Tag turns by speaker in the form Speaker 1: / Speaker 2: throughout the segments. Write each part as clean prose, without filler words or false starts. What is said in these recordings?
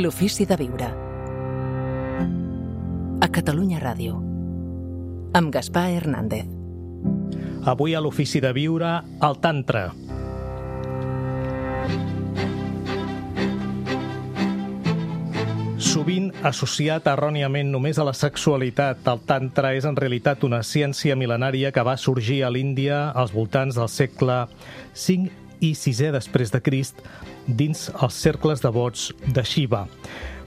Speaker 1: L'ofici de viure. A Catalunya Ràdio. Amb Gaspar Hernández.
Speaker 2: Avui a l'ofici de viure, el Tantra. Sovint associat erròniament només a la sexualitat, el Tantra és en realitat una ciència mil·lenària que va sorgir a l'Índia als voltants del segle V i VI després de Crist dins els cercles devots de Shiva.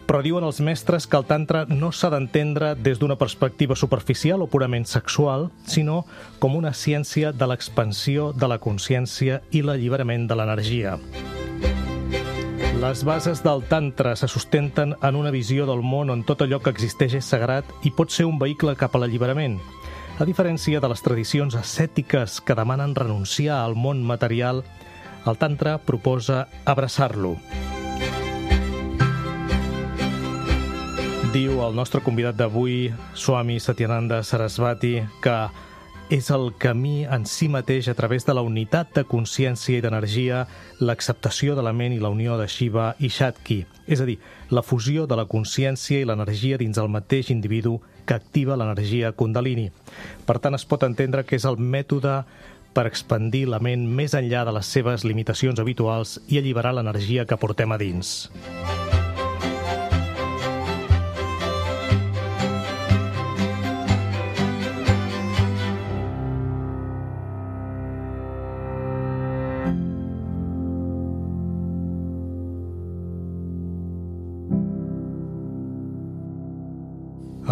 Speaker 2: Però diuen els mestres que el Tantra no s'ha d'entendre des d'una perspectiva superficial o purament sexual, sinó com una ciència de l'expansió de la consciència i l'alliberament de l'energia. Les bases del Tantra se sustenten en una visió del món on tot allò que existeix és sagrat i pot ser un vehicle cap a l'alliberament. A diferència de les tradicions ascètiques que demanen renunciar al món material, el Tantra proposa abraçar-lo. Diu el nostre convidat d'avui, Swami Satyananda Sarasvati, que és el camí en si mateix a través de la unitat de consciència i d'energia, l'acceptació de la ment i la unió de Shiva i Shakti, és a dir, la fusió de la consciència i l'energia dins el mateix individu que activa l'energia Kundalini. Per tant, es pot entendre que és el mètode per expandir la ment més enllà de les seves limitacions habituals i alliberar l'energia que portem a dins.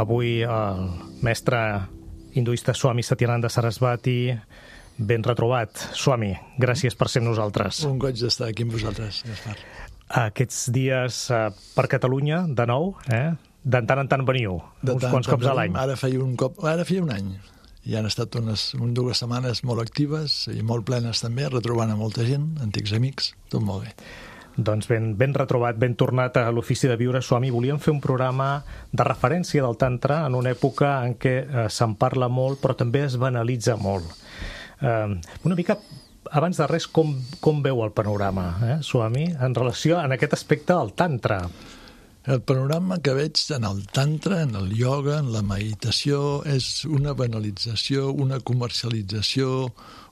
Speaker 2: Avui el mestre hinduista Swami Satyananda Sarasvati, ben retrobat. Swami, gràcies per ser amb nosaltres.
Speaker 3: Un goig d'estar aquí amb vosaltres, Gaspar.
Speaker 2: Aquests dies per Catalunya, de nou, de tant en tant veniu, uns quants cops a l'any.
Speaker 3: Ara feia un any. I han estat unes 2 setmanes molt actives i molt plenes també, retrobant a molta gent, antics amics, tot molt bé.
Speaker 2: Doncs ben retrobat, ben tornat a l'ofici de viure, Swami. Volíem fer un programa de referència del Tantra en una època en què se'n parla molt, però també es banalitza molt. Una mica, abans de res, com veu el panorama, Swami, en relació a aquest aspecte del Tantra?
Speaker 3: El panorama que veig en el Tantra, en el ioga, en la meditació, és una banalització, una comercialització,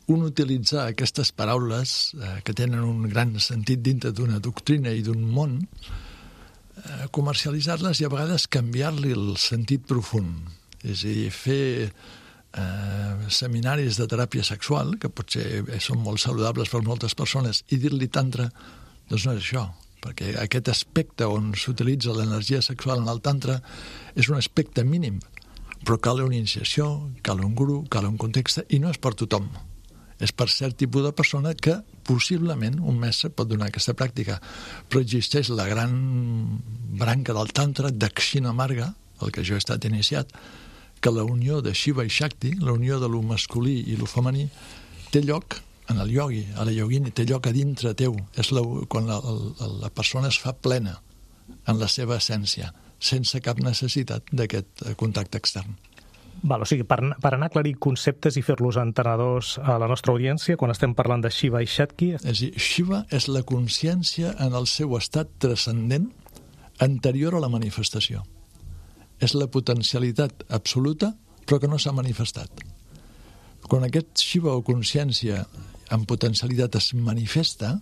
Speaker 3: un utilitzar aquestes paraules que tenen un gran sentit dintre d'una doctrina i d'un món, comercialitzar-les i a vegades canviar-li el sentit profund. És a dir, fer seminaris de teràpia sexual, que potser són molt saludables per moltes persones, i dir-li tantra, doncs no és això, perquè aquest aspecte on s'utilitza l'energia sexual en el tantra és un aspecte mínim, però cal una iniciació, cal un guru, cal un context, i no és per tothom. És per cert tipus de persona que possiblement un mestre pot donar aquesta pràctica. Però existeix la gran branca del Tantra, Dakshina Marga, el que jo he estat iniciat, que la unió de Shiva i Shakti, la unió de lo masculí i lo femení, té lloc en el yogi, a la yogini, té lloc a dintre teu. És quan la persona es fa plena en la seva essència, sense cap necessitat d'aquest contacte extern.
Speaker 2: Val, o sigui, per anar a aclarir conceptes i fer-los entenedors a la nostra audiència, quan estem parlant de Shiva i Shakti...
Speaker 3: És a dir, Shiva és la consciència en el seu estat transcendent anterior a la manifestació. És la potencialitat absoluta, però que no s'ha manifestat. Quan aquest Shiva o consciència en potencialitat es manifesta,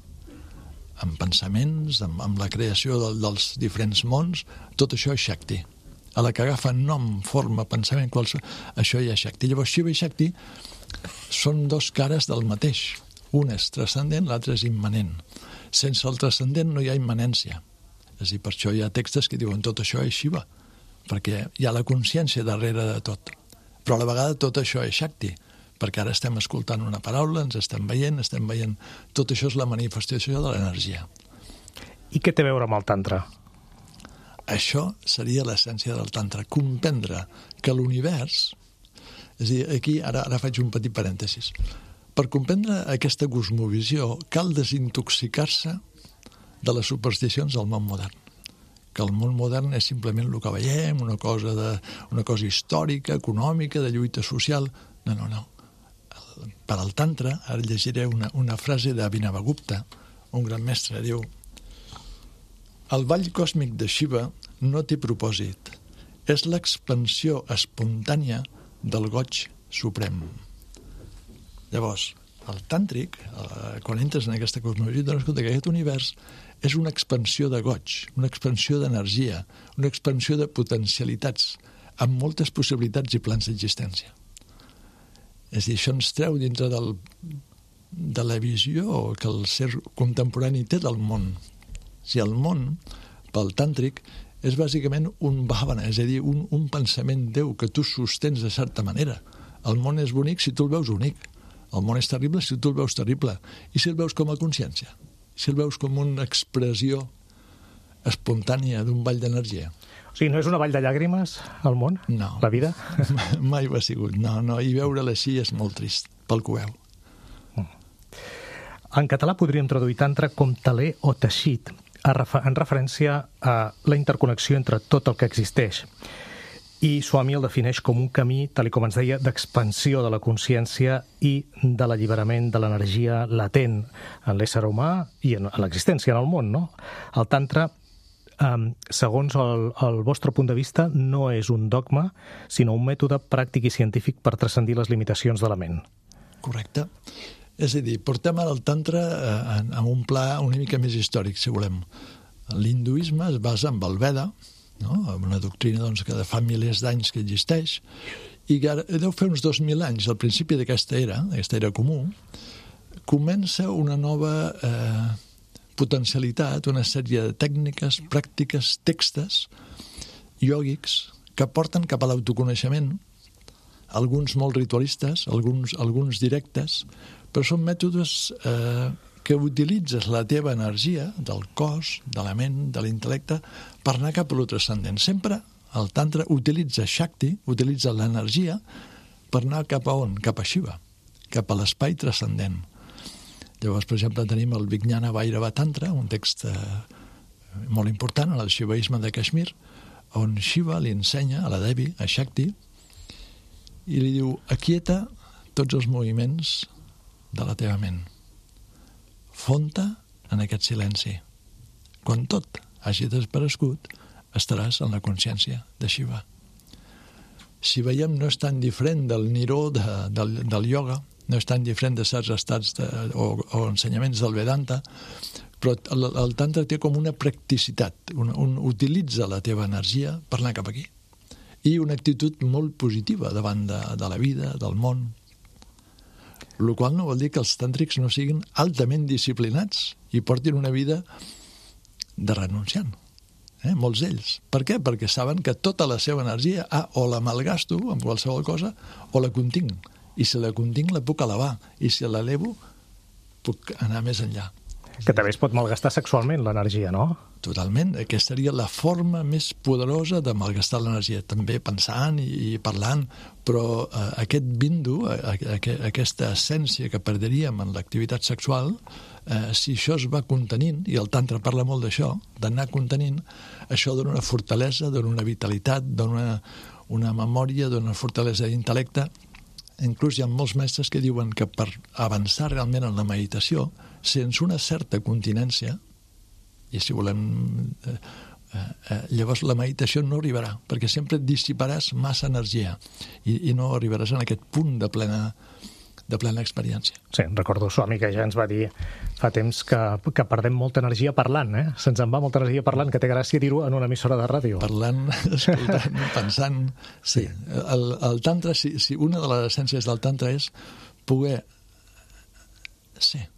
Speaker 3: amb pensaments, amb la creació dels diferents mons, tot això és Shakti. A la que agafa nom, forma, pensament, això hi ha Shakti. Llavors, Shiva i Shakti són 2 cares del mateix. Un és transcendent, l'altre és immanent. Sense el transcendent no hi ha immanència. És a dir, per això hi ha textos que diuen tot això és Shiva, perquè hi ha la consciència darrere de tot. Però a la vegada tot això és Shakti, perquè ara estem escoltant una paraula, ens estem veient. Tot això és la manifestació de l'energia.
Speaker 2: I què té a veure amb el Tantra?
Speaker 3: Això seria l'essència del Tantra, comprendre que l'univers, és a dir, aquí ara faig un petit parèntesis, per comprendre aquesta cosmovisió cal desintoxicar-se de les supersticions del món modern, que el món modern és simplement el que veiem, una cosa històrica, econòmica, de lluita social. No. Per al Tantra, ara llegiré una frase d'Abhinavagupta, un gran mestre, diu: El ball còsmic de Shiva no té propòsit. És l'expansió espontània del goig suprem. Llavors, el tàntric, quan entres en aquesta cosmologia, et dones compte que aquest univers és una expansió de goig, una expansió d'energia, una expansió de potencialitats, amb moltes possibilitats i plans d'existència. És a dir, això ens treu dintre de la visió que el ser contemporani té del món. Si el món, pel tàntric, és bàsicament un bhavana, és a dir, un pensament Déu que tu sostens de certa manera. El món és bonic si tu el veus únic. El món és terrible si tu el veus terrible. I si el veus com a consciència? Si el veus com una expressió espontània d'un ball d'energia?
Speaker 2: O sigui, no és una vall de llàgrimes, el món?
Speaker 3: No.
Speaker 2: La vida?
Speaker 3: Mai ho ha sigut. No, i veure-la així és molt trist, pel que ho veu.
Speaker 2: En català podríem traduir tantra com teler o teixit, en referència a la interconnexió entre tot el que existeix. I Swami el defineix com un camí, tal com ens deia, d'expansió de la consciència i de l'alliberament de l'energia latent en l'ésser humà i en l'existència en el món, no? El tantra, segons el vostre punt de vista, no és un dogma, sinó un mètode pràctic i científic per transcendir les limitacions de la ment.
Speaker 3: Correcte. És a dir, portem ara el tantra en un pla una mica més històric, si volem. L'hinduisme es basa en el Veda, no? Una doctrina doncs, que fa milers d'anys que existeix, i que deu fer uns 2.000 anys, al principi d'aquesta era comú, comença una nova potencialitat, una sèrie de tècniques, pràctiques, textos iògics que porten cap a l'autoconeixement, alguns molt ritualistes, alguns directes, però són mètodes que utilitzes la teva energia del cos, de la ment, de l'intel·lecte, per anar cap a lo transcendent. Sempre el tantra utilitza Shakti, utilitza l'energia per anar cap a on? Cap a Shiva, cap a l'espai transcendent. Llavors, per exemple, tenim el Vijnana Bhairava Tantra, un text molt important, el xivaisme de Kashmir, on Shiva li ensenya a la Devi, a Shakti, i li diu, aquieta tots els moviments de la teva ment. Fon-te en aquest silenci. Quan tot hagi desaparegut, estaràs en la consciència de Shiva. Si veiem, no és tan diferent del Niro del ioga, no és tan diferent de certs estats o ensenyaments del Vedanta, però el tantra té com una practicitat, utilitza la teva energia per anar cap aquí. I una actitud molt positiva davant de la vida, del món. El qual no vol dir que els tàntrics no siguin altament disciplinats i portin una vida de renunciant. Molts d'ells. Per què? Perquè saben que tota la seva energia o la malgasto amb qualsevol cosa o la continc. I si la continc la puc elevar. I si l'elevo puc anar més enllà.
Speaker 2: Que també es pot malgastar sexualment l'energia, no?
Speaker 3: Totalment. Aquesta seria la forma més poderosa de malgastar l'energia. També pensant i parlant, però aquest bindu, aquesta essència que perdríem en l'activitat sexual, si això es va contenint, i el tantra parla molt d'això, d'anar contenint, això dona una fortalesa, dona una vitalitat, dona una memòria, dona una fortalesa d'intel·lecte. Inclús hi ha molts mestres que diuen que per avançar realment en la meditació, sense una certa continència, i si volem, llavors la meditació no arribarà, perquè sempre dissiparàs massa energia i no arribaràs en aquest punt de plena experiència.
Speaker 2: Sí, recordo Swami que ja ens va dir fa temps que perdem molta energia parlant, Se'ns en va molta energia parlant, que té gràcia dir-ho en una emissora de ràdio.
Speaker 3: Parlant, escoltant, pensant... Sí, el tantra, una de les essències del tantra és poder ser,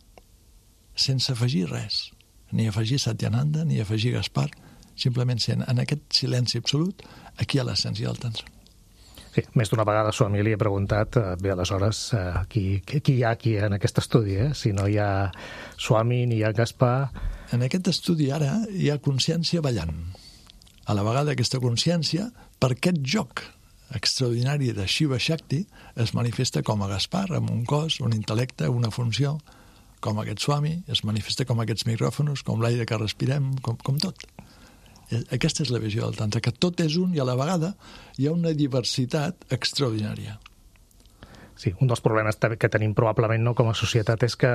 Speaker 3: sense afegir res, ni afegir Satyananda, ni afegir Gaspar, simplement sent en aquest silenci absolut, aquí hi ha l'essència del tantra.
Speaker 2: Sí, més d'una vegada Swami li he preguntat, bé, aleshores, qui hi ha aquí en aquest estudi, Si no hi ha Swami ni hi ha Gaspar...
Speaker 3: En aquest estudi ara hi ha consciència ballant. A la vegada aquesta consciència, per aquest joc extraordinari de Shiva Shakti, es manifesta com a Gaspar, amb un cos, un intel·lecte, una funció, com aquest Swami, es manifesta com aquests micròfons, com l'aire que respirem, com tot. Aquesta és la visió del tantra, que tot és un i a la vegada hi ha una diversitat extraordinària.
Speaker 2: Sí, un dels problemes que tenim probablement com a societat és que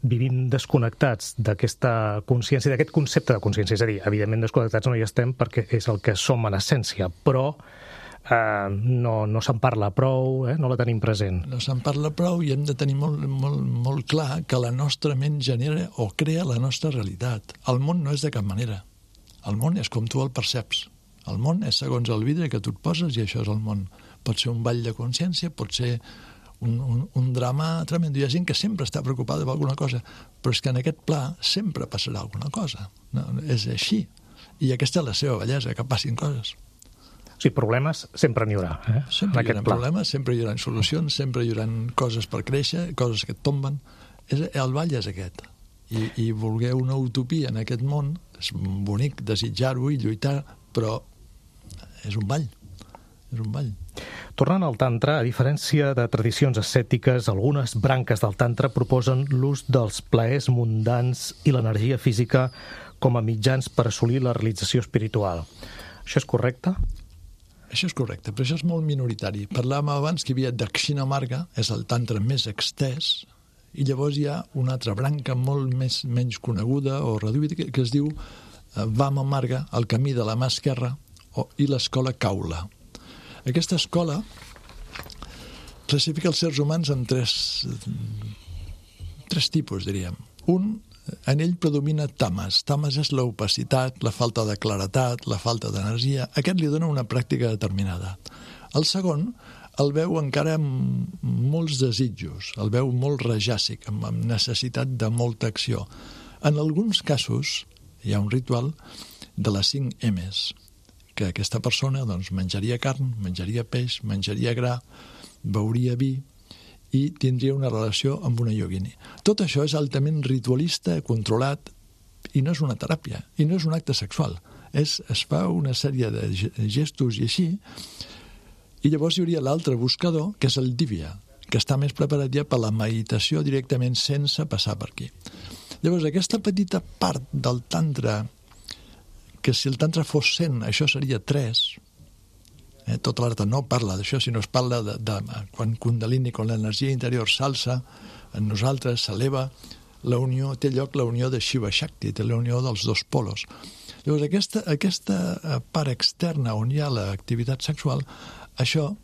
Speaker 2: vivim desconnectats d'aquesta consciència, d'aquest concepte de consciència. És a dir, evidentment desconnectats no hi estem perquè és el que som en essència, però no se'n parla prou, no la tenim present.
Speaker 3: No se'n parla prou i hem de tenir molt clar que la nostra ment genera o crea la nostra realitat. El món no és de cap manera. El món és com tu el perceps. El món és segons el vidre que tu et poses i això és el món. Pot ser un ball de consciència, pot ser un drama tremendo. Hi ha gent que sempre està preocupada per alguna cosa, però és que en aquest pla sempre passarà alguna cosa. No, és així. I aquesta és la seva bellesa, que passin coses.
Speaker 2: O sigui, problemes sempre n'hi haurà.
Speaker 3: Sempre hi haurà problemes, sempre hi haurà solucions, sempre hi haurà coses per créixer, coses que et tomben. El ball és aquest. I voler una utopia en aquest món és bonic desitjar-ho i lluitar, però és un ball. És un ball.
Speaker 2: Tornant al tantra, a diferència de tradicions ascètiques, algunes branques del tantra proposen l'ús dels plaers mundans i l'energia física com a mitjans per assolir la realització espiritual. Això és correcte?
Speaker 3: Això és correcte, però això és molt minoritari. Parlàvem abans que hi havia Dakshina Marga, és el tantra més extès, i llavors hi ha una altra branca molt menys coneguda o reduïda que es diu Vama Marga, el camí de la mà esquerra, i l'escola Kaula. Aquesta escola classifica els éssers humans en tres tipus, diríem. Un, en ell predomina tamas. Tamas és l'opacitat, la falta de claretat, la falta d'energia. Aquest li dona una pràctica determinada. El segon el veu encara amb molts desitjos, el veu molt rajàsic, amb necessitat de molta acció. En alguns casos hi ha un ritual de les 5 M's, que aquesta persona doncs, menjaria carn, menjaria peix, menjaria gra, beuria vi i tindria una relació amb una yogini. Tot això és altament ritualista, controlat, i no és una teràpia, i no és un acte sexual. Es fa una sèrie de gestos i així, i llavors hi hauria l'altre buscador, que és el divya, que està més preparat ja per la meditació directament sense passar per aquí. Llavors, aquesta petita part del tantra, que si el tantra fos 100, això seria 3. Tota l'arte no parla d'això, sinó es parla de quan Kundalini, quan l'energia interior s'alça, en nosaltres s'eleva, té lloc la unió de Shiva Shakti, té la unió dels dos polos. Llavors, aquesta part externa on hi ha l'activitat sexual, això,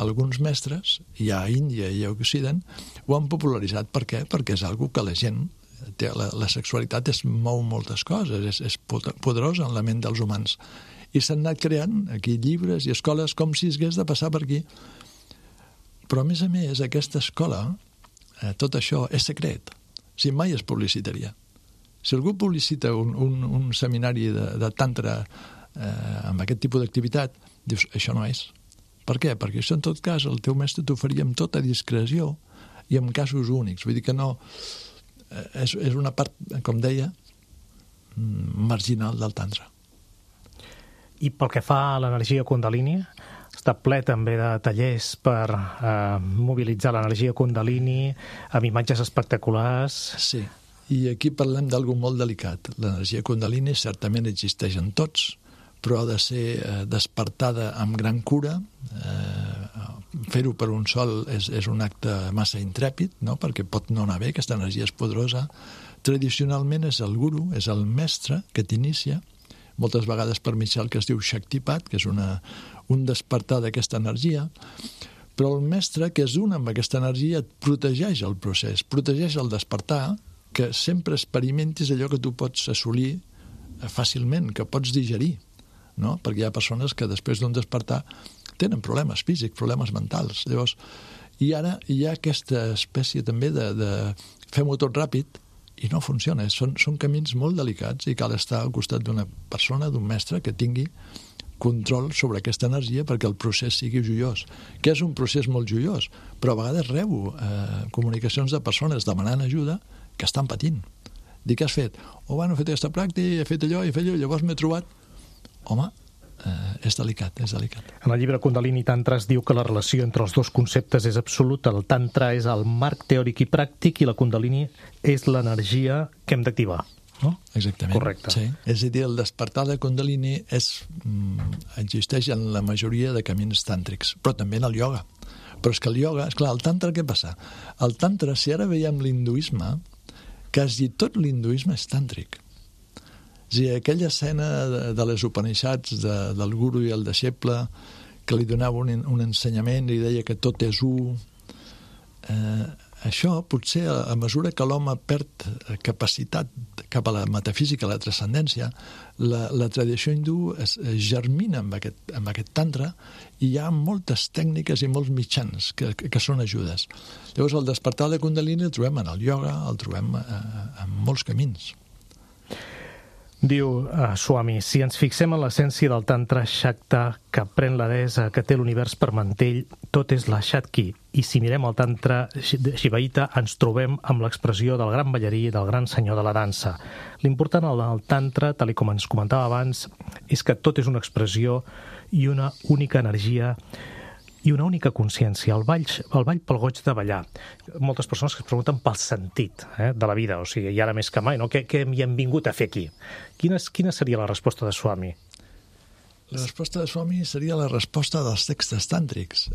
Speaker 3: alguns mestres, hi ha a Índia i a Occident, ho han popularitzat. Per què? Perquè és algo que la gent la sexualitat mou moltes coses, és poderosa en la ment dels humans. I s'han anat creant aquí llibres i escoles com si es hagués de passar per aquí. Però, a més, aquesta escola, tot això és secret. Si mai es publicitaria. Si algú publicita un seminari de tantra amb aquest tipus d'activitat, dius, això no és. Per què? Perquè això, en tot cas, el teu mestre t'ho faria amb tota discreció i en casos únics. Vull dir que no... És una part, com deia, marginal del tantra.
Speaker 2: I pel que fa a l'energia Kundalini, està ple també de tallers per mobilitzar l'energia Kundalini amb imatges espectaculars.
Speaker 3: Sí, i aquí parlem d'algo molt delicat. L'energia Kundalini certament existeix en tots, però ha de ser despertada amb gran cura. Fer-ho per un sol és un acte massa intrèpid, no? Perquè pot no anar bé, aquesta energia és poderosa. Tradicionalment és el guru, és el mestre que t'inicia, moltes vegades per mitjà que es diu Shaktipat, que és un despertar d'aquesta energia, però el mestre que és un amb aquesta energia et protegeix el procés, protegeix el despertar, que sempre experimentis allò que tu pots assolir fàcilment, que pots digerir, no? Perquè hi ha persones que després d'un despertar tenen problemes físics, problemes mentals. Llavors, i ara hi ha aquesta espècie també de fem-ho tot ràpid i no funciona. Són camins molt delicats i cal estar al costat d'una persona, d'un mestre que tingui control sobre aquesta energia perquè el procés sigui joiós. Que és un procés molt joiós, però a vegades rebo comunicacions de persones demanant ajuda que estan patint. Dic, què has fet? He fet aquesta pràctica, he fet allò, llavors m'he trobat... Home, és delicat.
Speaker 2: En el llibre Kundalini Tantra es diu que la relació entre els dos conceptes és absoluta. El Tantra és el marc teòric i pràctic i la Kundalini és l'energia que hem d'activar. No?
Speaker 3: Exactament.
Speaker 2: Correcte.
Speaker 3: Sí. És a dir, el despertar de Kundalini existeix en la majoria de camins tàntrics, però també en el ioga. Però és que el ioga, esclar, el tantra què passa? El tantra, si ara veiem l'hinduisme, quasi tot l'hinduisme és tàntric. És a dir, aquella escena de les Upanishads del guru i el deixeble, que li donava un ensenyament i deia que tot és u. Això, potser, a mesura que l'home perd capacitat cap a la metafísica, a la transcendència, la tradició hindú es germina amb aquest tantra i hi ha moltes tècniques i molts mitjans que són ajudes. Llavors, el despertar de Kundalini el trobem en el ioga, el trobem en molts camins.
Speaker 2: Diu Swami, si ens fixem en l'essència del Tantra Shakta que pren la deessa, que té l'univers per mantell, tot és la Shakti. I si mirem el Tantra Shivaita, ens trobem amb l'expressió del gran ballarí i del gran senyor de la dansa. L'important del Tantra, tal com ens comentava abans, és que tot és una expressió i una única energia i una única consciència, el ball pel goig de ballar. Moltes persones que es pregunten pel sentit de la vida, o sigui, i ara més que mai, no? Què hi hem vingut a fer aquí? Quina seria la resposta de Swami?
Speaker 3: La resposta de Swami seria la resposta dels textos tàntrics.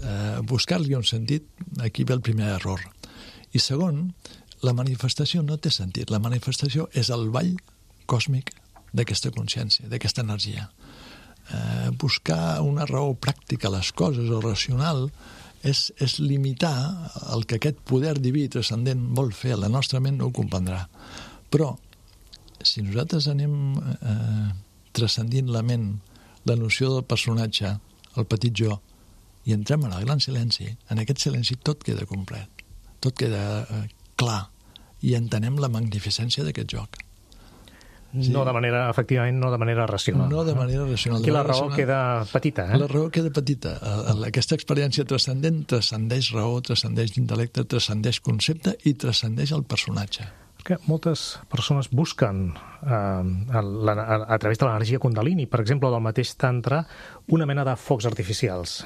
Speaker 3: Buscar-li un sentit, aquí ve el primer error. I segon, la manifestació no té sentit. La manifestació és el ball còsmic d'aquesta consciència, d'aquesta energia. Buscar una raó pràctica a les coses o racional és limitar el que aquest poder diví transcendent vol fer. La nostra ment no ho comprendrà. Però, si nosaltres anem transcendint la ment, la noció del personatge, el petit jo, i entrem en el gran silenci, en aquest silenci tot queda complet, tot queda clar, i entenem la magnificència d'aquest joc.
Speaker 2: Sí. No de manera, efectivament, no de manera racional.
Speaker 3: No de manera racional.
Speaker 2: Aquí la raó queda petita,
Speaker 3: La raó queda petita. Aquesta experiència transcendent transcendeix raó, transcendeix intel·lecte, transcendeix concepte i transcendeix el personatge.
Speaker 2: Que moltes persones busquen a través de l'energia Kundalini, per exemple, del mateix tantra, una mena de focs artificials,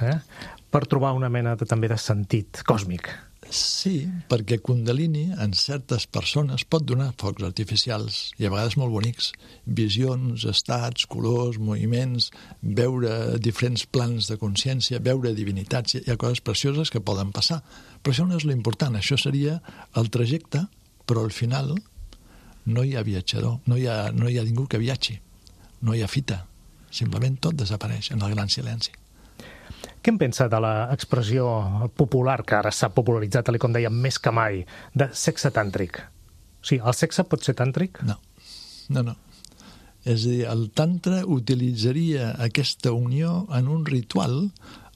Speaker 2: per trobar una mena també de sentit còsmic.
Speaker 3: Sí, perquè Kundalini en certes persones pot donar focs artificials i a vegades molt bonics, visions, estats, colors, moviments, veure diferents plans de consciència, veure divinitats, hi ha coses precioses que poden passar. Però això no és l'important, això seria el trajecte, però al final no hi ha viatjador, no hi ha ningú que viatgi, no hi ha fita, simplement tot desapareix en el gran silenci.
Speaker 2: Què en pensa de l'expressió popular, que ara s'ha popularitzat, tal com dèiem, més que mai, de sexe tàntric? O sigui, el sexe pot ser tàntric?
Speaker 3: No. És a dir, el tantra utilitzaria aquesta unió en un ritual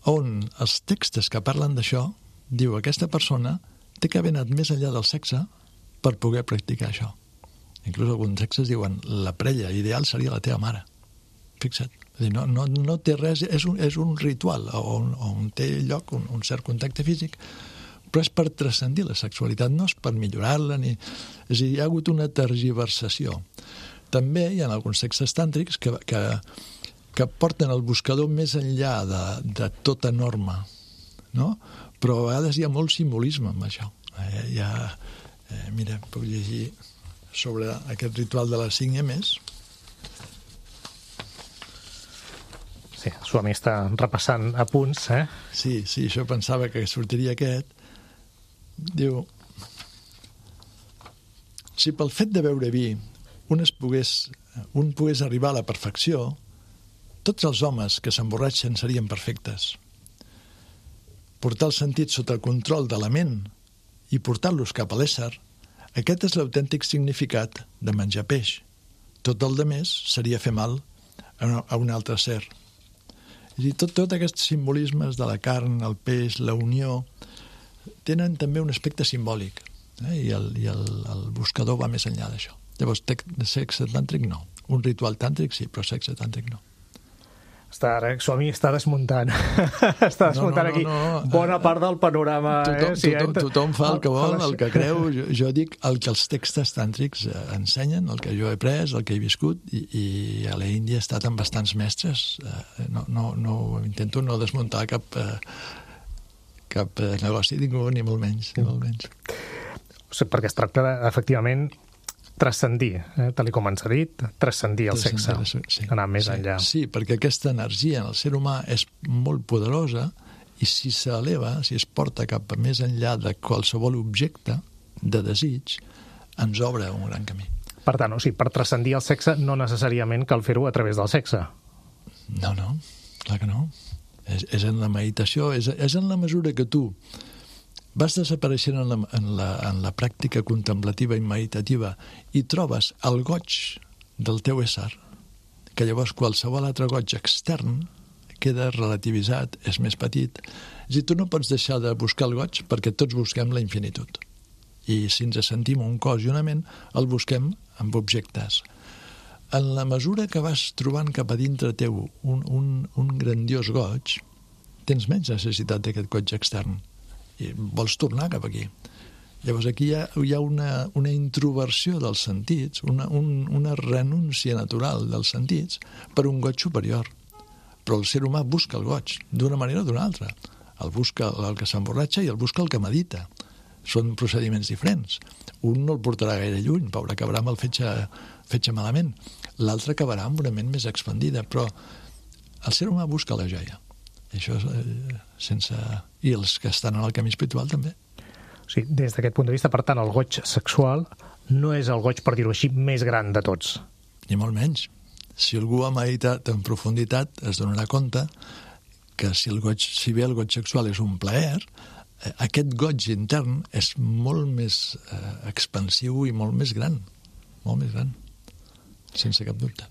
Speaker 3: on els textos que parlen d'això diu aquesta persona té que haver anat més enllà del sexe per poder practicar això. Inclús alguns textos diuen la parella ideal seria la teva mare. Fixa't. No té res, és un ritual on té lloc un cert contacte físic, però és per transcendir la sexualitat, no és per millorar-la, és a dir, hi ha hagut una tergiversació. També hi ha alguns textos tàntrics que porten el buscador més enllà de tota norma, no? Però a vegades hi ha molt simbolisme amb això. Mira, puc llegir sobre aquest ritual de les 5 yemes.
Speaker 2: Sí, Swami està repassant apunts,
Speaker 3: Sí, això pensava que sortiria aquest. Diu, si pel fet de beure vi un pogués arribar a la perfecció, tots els homes que s'emborratxen serien perfectes. Portar el sentit sota el control de la ment i portar-los cap a l'ésser, aquest és l'autèntic significat de menjar peix. Tot el demés seria fer mal a un altre ser. I tot aquests simbolismes de la carn, el peix, la unió, tenen també un aspecte simbòlic, i el buscador va més enllà d'això. Llavors, sexe tàntric no. Un ritual tàntric sí, però sexe tàntric no.
Speaker 2: Swami està desmuntant. Està desmuntant aquí bona part del panorama.
Speaker 3: Tothom fa el que vol, el que creu. Jo dic el que els textos tàntrics ensenyen, el que jo he après, el que he viscut, i a l'Índia he estat amb bastants mestres. Intento no desmuntar cap negoci, ni molt menys.
Speaker 2: Perquè es tracta, efectivament, transcendir, tal com ens ha dit, transcendir el sexe, anar més enllà.
Speaker 3: Sí, perquè aquesta energia en el ser humà és molt poderosa I si s'eleva, si es porta cap a més enllà de qualsevol objecte de desig, ens obre un gran camí.
Speaker 2: Per tant, per transcendir el sexe no necessàriament cal fer-ho a través del sexe.
Speaker 3: No, clar que no. És en la meditació, és en la mesura que tu vas desapareixent en la pràctica contemplativa i meditativa i trobes el goig del teu ésser, que llavors qualsevol altre goig extern queda relativitzat, és més petit. És a dir, tu no pots deixar de buscar el goig perquè tots busquem la infinitud. I si ens sentim un cos i una ment, el busquem amb objectes. En la mesura que vas trobant cap a dintre teu un grandiós goig, tens menys necessitat d'aquest goig extern i vols tornar cap aquí. Llavors aquí hi ha una introversió dels sentits, una renúncia natural dels sentits per un goig superior. Però el ser humà busca el goig d'una manera o d'una altra. El busca el que s'emborratxa i el busca el que medita. Són procediments diferents. Un no el portarà gaire lluny, pobre, acabarà amb el fetge malament. L'altre acabarà amb una ment més expandida, però el ser humà busca la joia. I això i els que estan en el camí espiritual també.
Speaker 2: Sí, des d'aquest punt de vista, per tant, el goig sexual no és el goig, per dir-ho així, més gran de tots.
Speaker 3: Ni molt menys. Si algú ha meditat en profunditat, es donarà compte que si bé el goig sexual és un plaer, aquest goig intern és molt més expansiu i molt més gran, sense cap dubte.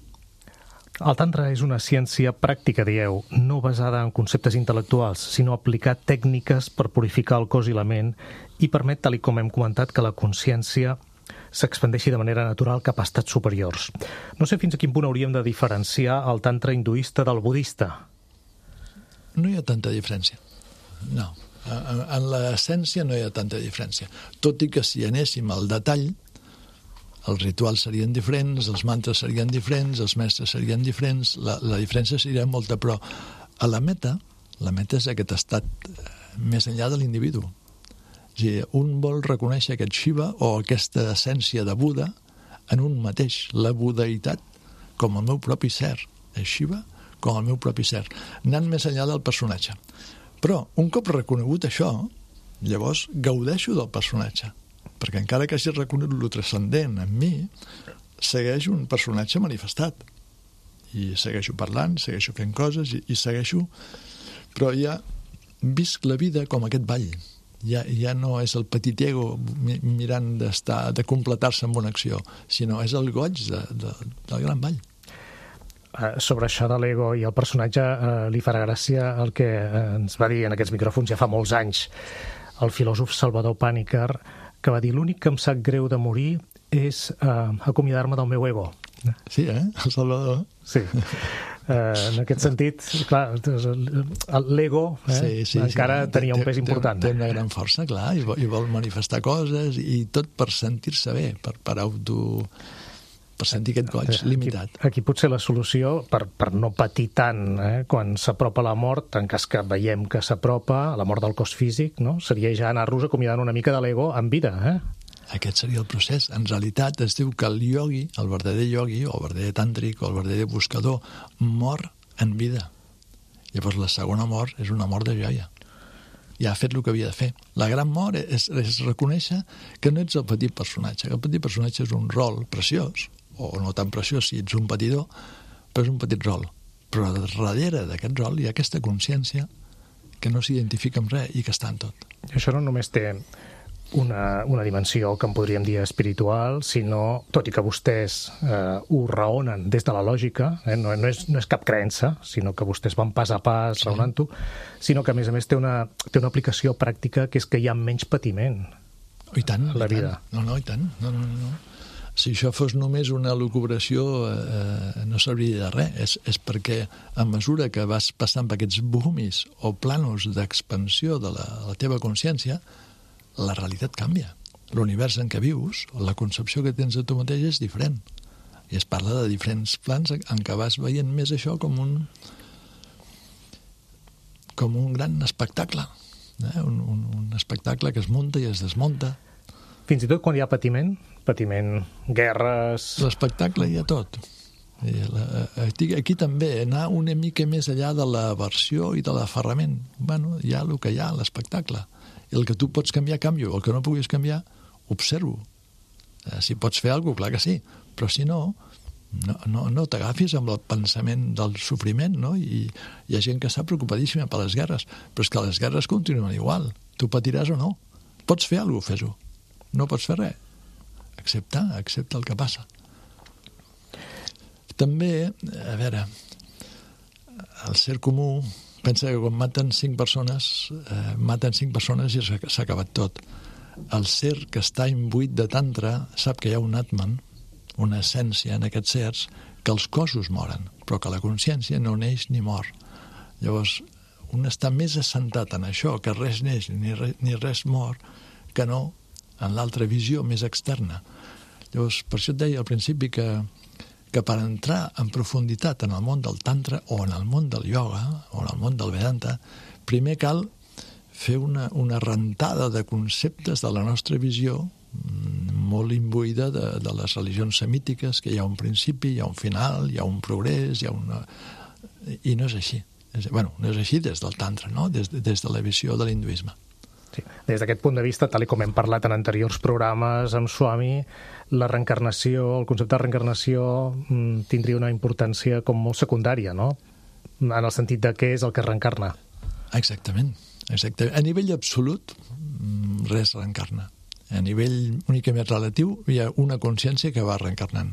Speaker 2: El tantra és una ciència pràctica, dieu, no basada en conceptes intel·lectuals, sinó aplicar tècniques per purificar el cos i la ment i permet, tal com hem comentat, que la consciència s'expandeixi de manera natural cap a estats superiors. No sé fins a quin punt hauríem de diferenciar el tantra hinduista del budista.
Speaker 3: No hi ha tanta diferència, no. En l'essència no hi ha tanta diferència. Tot i que si anéssim al detall, els rituals serien diferents, els mantres serien diferents, els mestres serien diferents, la diferència seria molta, però a la meta és aquest estat més enllà de l'individu. És a dir, un vol reconèixer aquest Shiva o aquesta essència de Buda en un mateix, la budeïtat com el meu propi ser, és Shiva com el meu propi ser, anant més enllà del personatge. Però un cop reconegut això, llavors gaudeixo del personatge, perquè encara que hagi reconegut lo transcendent en mi, segueix un personatge manifestat. I segueixo parlant, segueixo fent coses i segueixo... Però ja visc la vida com aquest ball. Ja no és el petit ego mirant de completar-se amb una acció, sinó és el goig del gran ball.
Speaker 2: Sobre això de l'ego i el personatge li farà gràcia el que ens va dir en aquests micròfons ja fa molts anys el filòsof Salvador Pàniker, que va dir: l'únic que em sap greu de morir és acomiadar-me del meu ego.
Speaker 3: Sí, el Salvador.
Speaker 2: Sí. En aquest sentit, clar, l'ego encara tenia un pes important.
Speaker 3: Té una gran força, clar, i vol manifestar coses i tot per sentir-se bé, per sentir aquest goig limitat.
Speaker 2: Aquí potser la solució, per no patir tant quan s'apropa la mort, en cas que veiem que s'apropa la mort del cos físic, no? Seria ja anar-nos acomiadant una mica de l'ego en vida.
Speaker 3: Aquest seria el procés. En realitat es diu que el yogui, el verdader yogui, o el verdader tàntric, o el verdader buscador, mor en vida. Llavors la segona mort és una mort de joia. Ja ha fet el que havia de fer. La gran mort és reconèixer que no ets el petit personatge, que el petit personatge és un rol preciós, o no tan preciós si ets un patidor, però és un petit rol. Però darrere d'aquest rol hi ha aquesta consciència que no s'identifica amb res i que està en tot.
Speaker 2: Això no només té una dimensió que en podríem dir espiritual, sinó, tot i que vostès ho raonen des de la lògica, no és cap creença, sinó que vostès van pas a pas raonant-ho, sinó que a més té una aplicació pràctica, que és que hi ha menys patiment
Speaker 3: a
Speaker 2: la vida.
Speaker 3: No, i tant. No. Si això fos només una elucubració no serviria de res. És perquè a mesura que vas passant per aquests bumis o planos d'expansió de la teva consciència, la realitat canvia. L'univers en què vius, la concepció que tens de tu mateix és diferent. I es parla de diferents plans en què vas veient més això com un gran espectacle. Un espectacle que es munta i es desmunta.
Speaker 2: Fins i tot quan hi ha patiment, guerres...
Speaker 3: L'espectacle hi ha tot. Aquí també anar una mica més enllà de la versió i de l'aferrament. Bueno, hi ha el que hi ha, l'espectacle. El que tu pots canviar, canvio. El que no puguis canviar, observo. Si pots fer alguna cosa, clar que sí. Però si no, no t'agafis amb el pensament del sofriment, no? I hi ha gent que està preocupadíssima per les guerres, però és que les guerres continuen igual. Tu patiràs o no. Pots fer alguna cosa, fes-ho. No pots fer res. Accepta el que passa. També, a veure, el ser comú pensa que quan maten 5 persones i s'ha acabat tot. El ser que està imbuït de tantra sap que hi ha un atman, una essència en aquests sers, que els cossos moren, però que la consciència no neix ni mor. Llavors, un està més assentat en això, que res neix ni res mor, que no en l'altra visió més externa. Llavors, per això et deia al principi que per entrar en profunditat en el món del tantra o en el món del ioga o en el món del Vedanta, primer cal fer una rentada de conceptes de la nostra visió molt imbuïda de les religions semítiques, que hi ha un principi, hi ha un final, hi ha un progrés, i no és així. Bueno, no és així des del tantra, no? Des de la visió de l'hinduisme.
Speaker 2: Sí. Des d'aquest punt de vista, tal com hem parlat en anteriors programes amb Swami, la reencarnació, el concepte de reencarnació tindria una importància com molt secundària, no? En el sentit de què és el que reencarna.
Speaker 3: Exactament. A nivell absolut, res reencarna. A nivell únicament relatiu, hi ha una consciència que va reencarnant.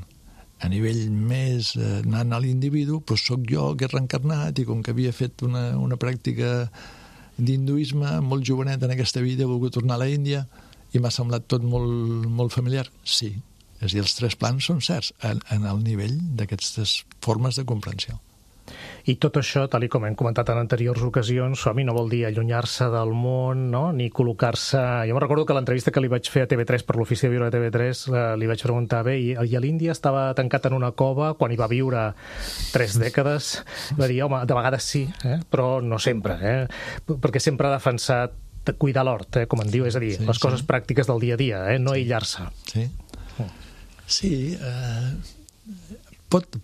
Speaker 3: A nivell més anant a l'individu, doncs soc jo que he reencarnat i com que havia fet una pràctica d'hinduisme molt jovenet en aquesta vida, he volgut tornar a la Índia i m'ha semblat tot molt, molt familiar. Sí, és a dir, els 3 plans són certs en el nivell d'aquestes formes de comprensió.
Speaker 2: I tot això, tal com hem comentat en anteriors ocasions, Swami, no vol dir allunyar-se del món, no? Ni col·locar-se... Jo me'n recordo que l'entrevista que li vaig fer a TV3 per l'ofici de viure a TV3 li vaig preguntar, bé, i a l'Índia estava tancat en una cova quan hi va viure 3 dècades? Va dir, home, de vegades sí, però no sempre, perquè sempre ha defensat cuidar l'hort, com en diu, és a dir, les coses pràctiques del dia a dia, no aïllar-se.
Speaker 3: Sí,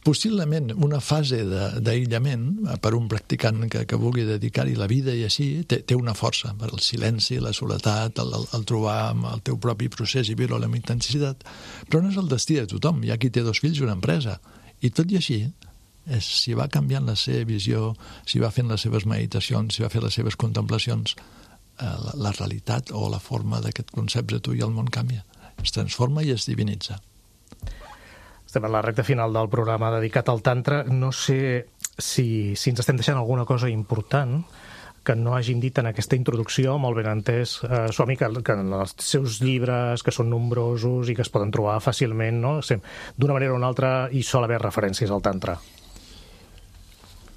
Speaker 3: possiblement una fase d'aïllament per un practicant que vulgui dedicar-hi la vida i així té una força per el silenci, la soledat, el trobar amb el teu propi procés i viure-ho amb intensitat, però no és el destí de tothom. Hi ha qui té 2 fills i una empresa, i tot i així, si va canviant la seva visió, si va fent les seves meditacions, si va fer les seves contemplacions, la realitat o la forma d'aquest concepte de tu i el món canvia, es transforma i es divinitza.
Speaker 2: Estem a la recta final del programa dedicat al tantra. No sé si ens estem deixant alguna cosa important que no hàgim dit en aquesta introducció, molt ben entès, Swami, que en els seus llibres, que són nombrosos i que es poden trobar fàcilment, no? D'una manera o una altra hi sol haver referències al tantra.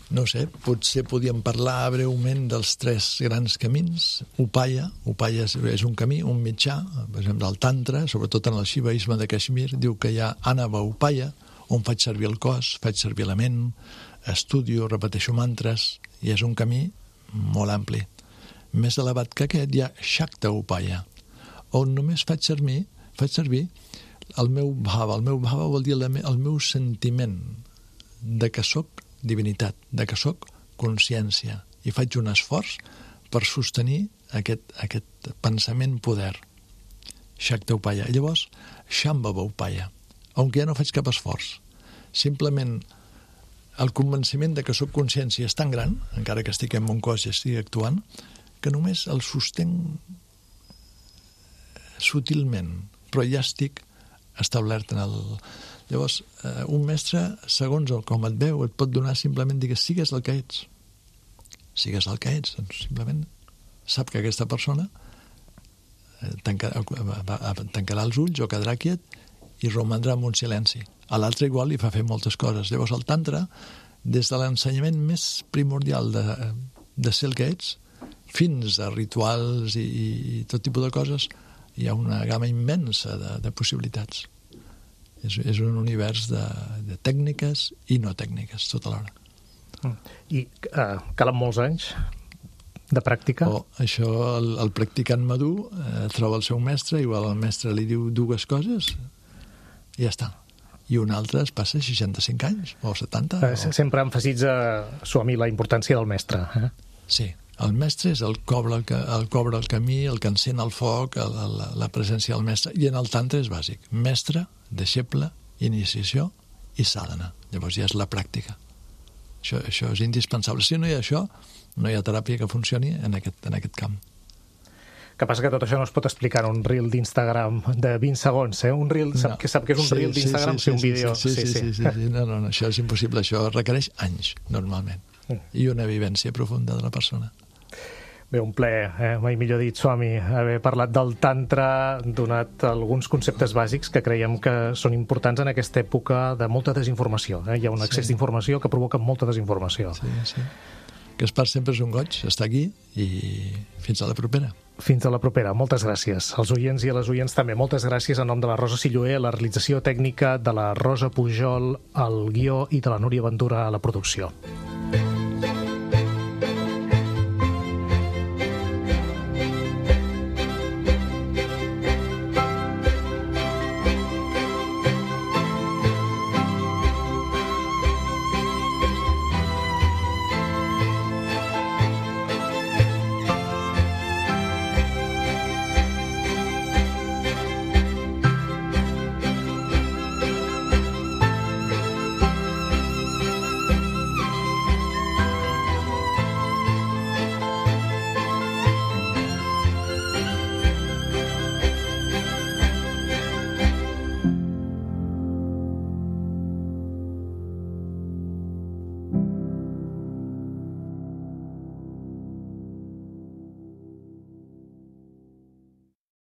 Speaker 3: No sé, potser podíem parlar breument dels 3 grans camins. Upaya és un camí, un mitjà, per exemple, el tantra, sobretot en el xivaisme de Kashmir, diu que hi ha Anava Upaya, on faig servir el cos, faig servir la ment, estudio, repeteixo mantres, i és un camí molt ampli. Més elevat que aquest hi ha Shakta Upaya, on només faig servir el meu bhava. El meu bhava vol dir el meu sentiment de que sóc divinitat, de que sóc consciència, i faig un esforç per sostenir aquest pensament poder. Shakta Upaya. Llavors, Shambhava Upaya, on ja no faig cap esforç. Simplement el convenciment de que sóc consciència és tan gran, encara que estic en mon cos i estic actuant, que només el sostenc sutilment, però ja estic establert en el... Llavors, un mestre, segons com et veu, et pot donar simplement dir que sigues el que ets. Sigues el que ets, doncs simplement sap que aquesta persona tancarà els ulls o quedarà quiet i romandrà en un silenci. A l'altre igual li fa fer moltes coses. Llavors el tantra, des de l'ensenyament més primordial de ser el que ets, fins a rituals i tot tipus de coses, hi ha una gamma immensa de possibilitats. És un univers de tècniques i no tècniques, tota l'hora.
Speaker 2: I calen molts anys de pràctica?
Speaker 3: Això, el practicant madur troba el seu mestre, igual el mestre li diu 2 coses i ja està. i un altre es passa 65 anys, o 70.
Speaker 2: Sempre emfasitza, Swami, la importància del mestre.
Speaker 3: Sí, el mestre és el que obre el camí, el que encén el foc, la presència del mestre, i en el tantra és bàsic. Mestre, deixeble, iniciació i sadhana. Llavors ja és la pràctica. Això és indispensable. Si no hi ha això, no hi ha teràpia que funcioni en aquest camp.
Speaker 2: Que passa que tot això no es pot explicar en un reel d'Instagram de 20 segons, eh? Un reel, sap que és un reel d'Instagram, un vídeo...
Speaker 3: Sí. No, això és impossible. Això requereix anys, normalment. I una vivència profunda de la persona.
Speaker 2: Bé, un plaer, mai millor dit, Swami, haver parlat del tantra, donat alguns conceptes bàsics que creiem que són importants en aquesta època de molta desinformació. Hi ha un excés d'informació que provoca molta desinformació.
Speaker 3: Sí. Gaspar, sempre és un goig estar aquí i fins a la propera.
Speaker 2: Fins a la propera. Moltes gràcies. Als oients i a les oients també. Moltes gràcies en nom de la Rosa Silloé, la realització tècnica, de la Rosa Pujol, el guió i de la Núria Ventura a la producció.